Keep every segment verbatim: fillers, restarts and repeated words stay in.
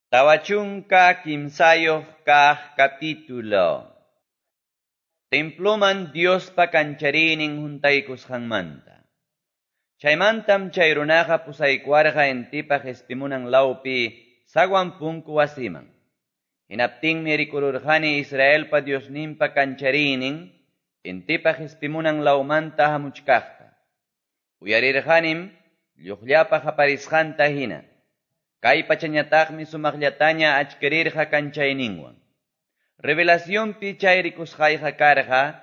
Tawa chunka kimsayuq kaq capítulo. Temploman Diospa kanchariynin huntaykusqanmanta. Chaymantam chay runaqa pusaykuwarqa intipa qispimunan lawpi zaguan punku wasiman. Hinaptinmi rikururqani Israelpa Diosninpa kanchariynin intipa qispimunan lawmanta hamuchkaqta. Uyarirqanim lluqllapa qaparisqanta hina. Kay pachañataqmi sumaqllataña achkirirqa kanchayninwan. Revelacionpi chay rikusqayqa karqa,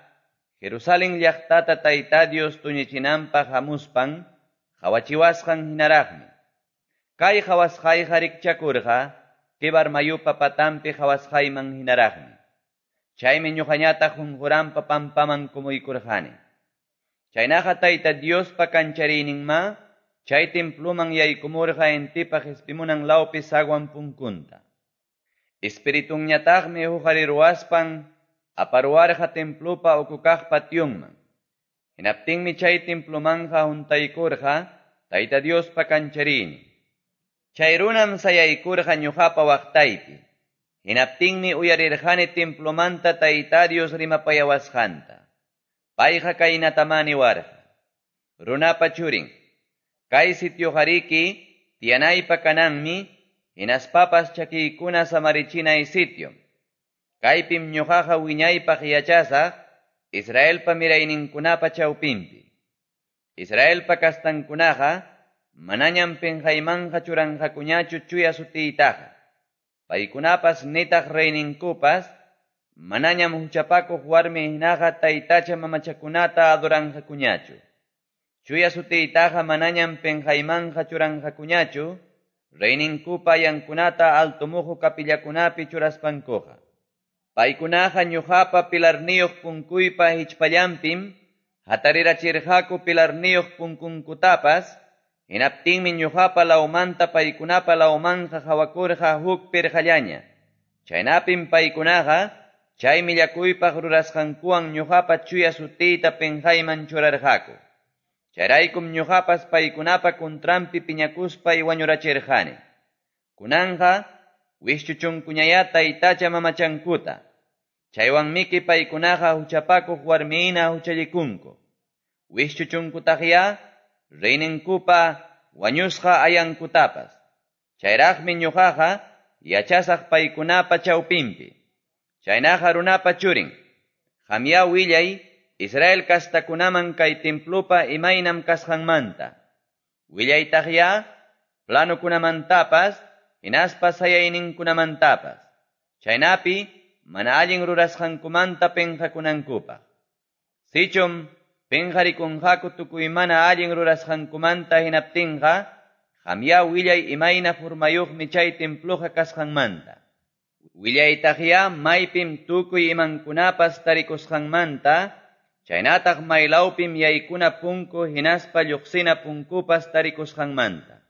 Jerusalén llaqtata Tayta Dios tuñichinanpaq hamuspan, qawachiwasqan hinaraqmi. Kay qawasqayqa rikchakurqa, Quebar mayupa patanpi qawasqayman hinaraqmi. Chaymi ñuqañataq qunquranpa pampaman kumuykurqani. Chaynaqa Tayta Diospa kanchariyninma, chay temploman yaykumurqa intipa qispimunan lawpi zaguan punkunta. Espiritunñataqmi huqariruwaspan aparuwarqa templopa ukukaq pationman. Hinaptinmi chay templomanqa huntaykurqa Tayta Diospa kanchariynin. Chay runam sayaykurqa ñuqapa waqtaypi. Hinaptinmi uyarirqani templomanta Tayta Dios rimapayawasqanta. Payqa kaynatamá niwarqa: Runapa churin, kay sitioqariki tiyanaypa kananmi, hinaspapas chakiykuna samarichinay sitio. Kaypim ñuqaqa wiñaypaq yachasaq Israelpa mirayninkunapa chawpinpi. Israelpa kastankunaqa manañam pinqaymanqa churanqakuñachu chuya sutiytaqa. Paykunapas nitaq reyninkupas manañam huchapakuq warmi hinaqa taytacha mamachakunata adoranqakuñachu. Chuya sutiytaqa manañam pinqaymanqa churanqakuñachu reyninkupa ayankunata altumuhu kapillakunapi churaspankuqa. Paykunaqa ñuqapa pilarniyuq punkuypa hichpallanpim hatarirachirqaku pilarniyuq punkunkutapas, hinaptinmi ñuqapa lawmanta paykunapa lawmanqa qawakurqa huk pirqallaña. Chaynapim paykunaqa chay millakuypaq rurasqankuwan ñuqapa chuya sutiyta pinqayman churarqaku. Chayraykum ñuqapas paykunapa kuntranpi piñakuspay wañurachirqani. Kunanqa wischuchunkuñayá taytacha mamachankuta. Chaywanmiki paykunaqa huchapakuq warmihina huchallikunku. Wischuchunkutaqyá reyninkupa wañusqa ayankutapas. Chayraqmi ñuqaqa yachasaq paykunapa chawpinpi. Chaynaqa runapa churin, qamyá willay Israel kastakunaman kay templopa imaynam kasqanmanta. Willaytaqyá planokunamantapas hinaspa sayayninkunamantapas. Chaynapi mana allin rurasqankumanta pinqakunankupaq. Sichum pinqarikunqaku tukuy mana allin rurasqankumanta hinaptinqa, qamyá willay imayna formayuqmi chay temploqa kasqanmanta. Willaytaqyá maypim tukuy imankunapas tarikusqanmanta, chaynataq maylawpim yaykuna punku hinaspa lluqsina punkupas tarikusqanmanta.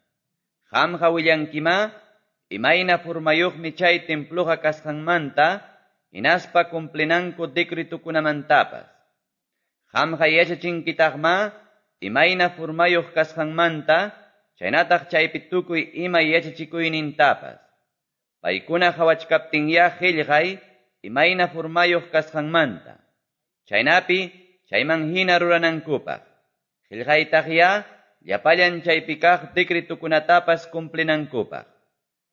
Qamqa willankimá imayna formayuqmi chay temploqa kasqanmanta, hinaspa cumplinanku decretukunamantapas. Qamqa yachachinkitaqmá imayna formayuq kasqanmanta, chaynataq chaypi tukuy ima yachachikuynintapas. Paykuna qawachkaptinyá qillqay imayna formayuq kasqanmanta. Chaynapi chayman hina ruranankupaq. Qillqaytaqyá llapallan chaypi kaq decretukunatapas cumplinankupaq.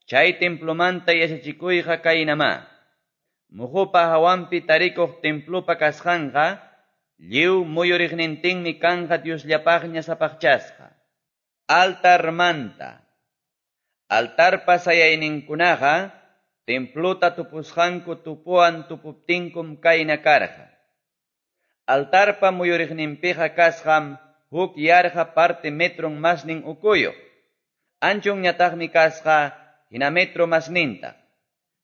Chay templomanta yachachikuyqa kaynamá. Muhupa hawanpi tarikuq templopa kasqanqa lliw muyuriqnintinmi kanqa Diosllapaqña sapaqchasqa. Altarmanta. Altarpa sayayninkunaqa templota tupusqanku tupuwan tupuptinkum kayna karqa. Altarpa muyuriqninpiqa kasqam huk yarqa parte metron masnin ukuyuq. Anchunñataqmi kasqa hina metro masninta.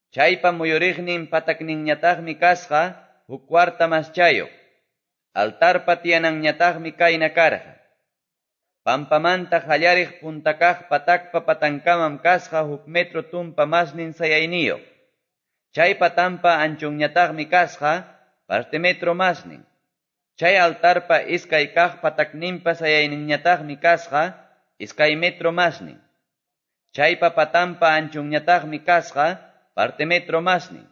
Chaypa muyuriqnin patakninñataqmi kasqa huk cuarta maschayuq. Altarpa tiyananñataqmi kayna karqa. Pampamanta qallariq puntakaq patakpa patankamam kasqa huk metro tumpa masnin sayayniyuq. Chay patampa anchunñataqmi kasqa parte metro masnin. Chay altarpa iskay kaq patakninpa sayayninñataqmi kasqa iskay metro masnin. Chaypa patanpa anchonñataqmi kasqa parte metro masnin.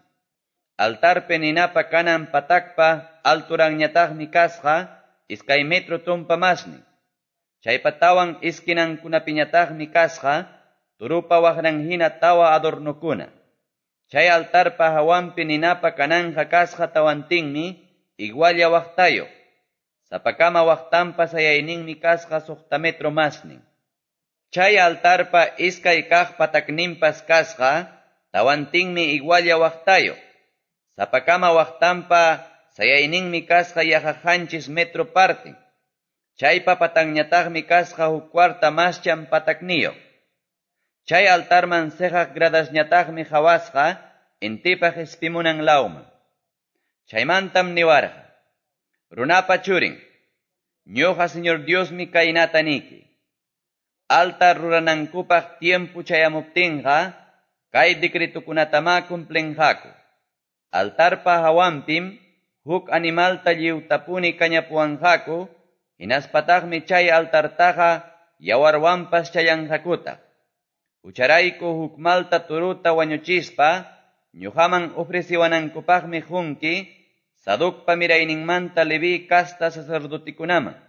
Altarpi ninapa kanan patakpa alturanñataqmi kasqa iskay metro tumpa masnin. Chaypa tawan esquinankunapiñataqmi kasqa toropa waqran hina tawa adornokuna. Chay altarpa hawanpi ninapa kananqa kasqa tawantinmi igualla waqtayuq. Sapakama waqtanpa sayayninmi kasqa suqta metro masnin. Chay altarpa iskay kaq patakninpas kasqa tawantinmi igualla waqtayuq. Sapakama waqtanpa sayayninmi kasqa yaqa qanchis metro parten. Chaypa patanñataqmi kasqa huk cuarta maschan patakniyuq. Chay altarman seqaq gradasñataqmi qawasqa intipa qispimunan lawman. Chaymantam niwarqa: Runapa churin, ñuqa Señor Diosmi kaynata niki: Altar ruranankupaq tiempo chayamuptinqa, kay decretokunatamá cumplinqaku. Altarpa hawanpim huk animalta lliwtapuni kañapuwanqaku, hinaspataqmi chay altartaqa yawarwanpas challanqakutaq. Hucharayku huk malta torota wañuchispa, ñuqaman ofreciwanankupaqmi qunki Sadocpa mirayninmanta Leví casta sacerdotikunaman.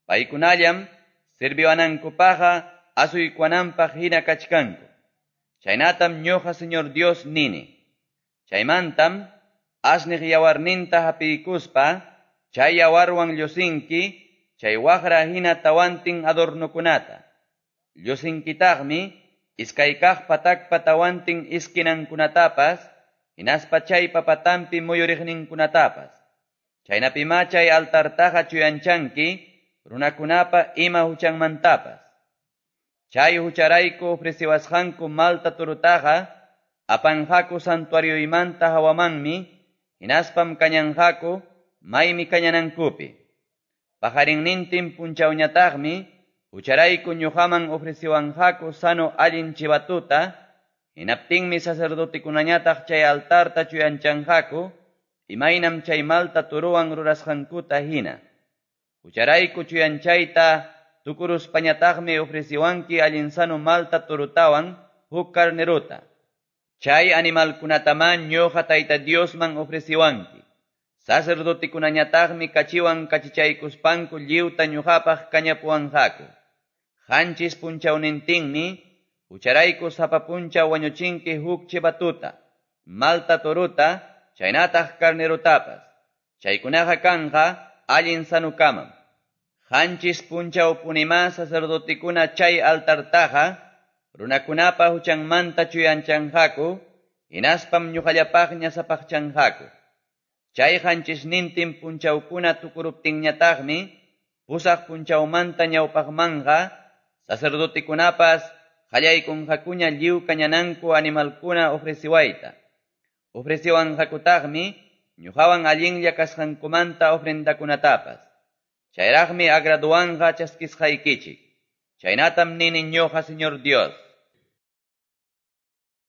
Paykunallam sirviwanankupaqqa asuykuwananpaq hina kachkanku. Chaynatam ñuqa Señor Dios nini. Chaymantam asniq yawarninta hapiykuspa, chay yawarwan llusinki chay waqra hina tawantin adornokunata. Llusinkitaqmi iskay kaq patakpa tawantin esquinankunatapas, hinaspa chaypa patanpi muyuriqninkunatapas. Chaynapimá chay altartaqa chuyanchanki runakunapa ima huchanmantapas. Chay hucharayku ofreciwasqanku malta torutaqa apanqaku santuarioymanta hawamanmi, hinaspam kañanqaku maymi kañanankupi. Paqarinnintin punchawñataqmi hucharayku ñuqaman ofreciwanqaku sano allin chivatuta, hinaptinmi sacerdotekunañataq chay altarta chuyanchanqaku, imaynam chay malta torowan rurasqankuta hina. Hucharayku chuyanchayta tukuruspañataqmi ofreciwanki allin sano malta torotawan huk carnerota. Chay animalkunatamá ñuqa Tayta Diosman ofreciwanki. Sacerdotekunañataqmi kachiwan kachichaykuspanku lliwta ñuqapaq kañapuwanqaku. Qanchis punchawnintinmi hucharayku sapa punchaw wañuchinki huk chivatuta, malta torota, chaynataq carnerotapas. Chaykunaqa kanqa allin sanukamam. Qanchis punchawpunimá sacerdotekuna chay altartaqa runakunapa huchanmanta chuyanchanqaku, hinaspam ñuqallapaqña sapaqchanqaku. Chay qanchisnintin punchawkuna tukuruptinñataqmi pusaq punchawmanta ñawpaqmanqa sacerdotekunapas qallaykunqakuña lliw kañananku animalkuna ofreciwayta. Ofreciwanqakutaqmi ñuqawan allinlla kasqankumanta ofrendakunatapas. Chayraqmi agraduwanqa chaskisqaykichik. Chaynatam nini ñuqa Señor Dios.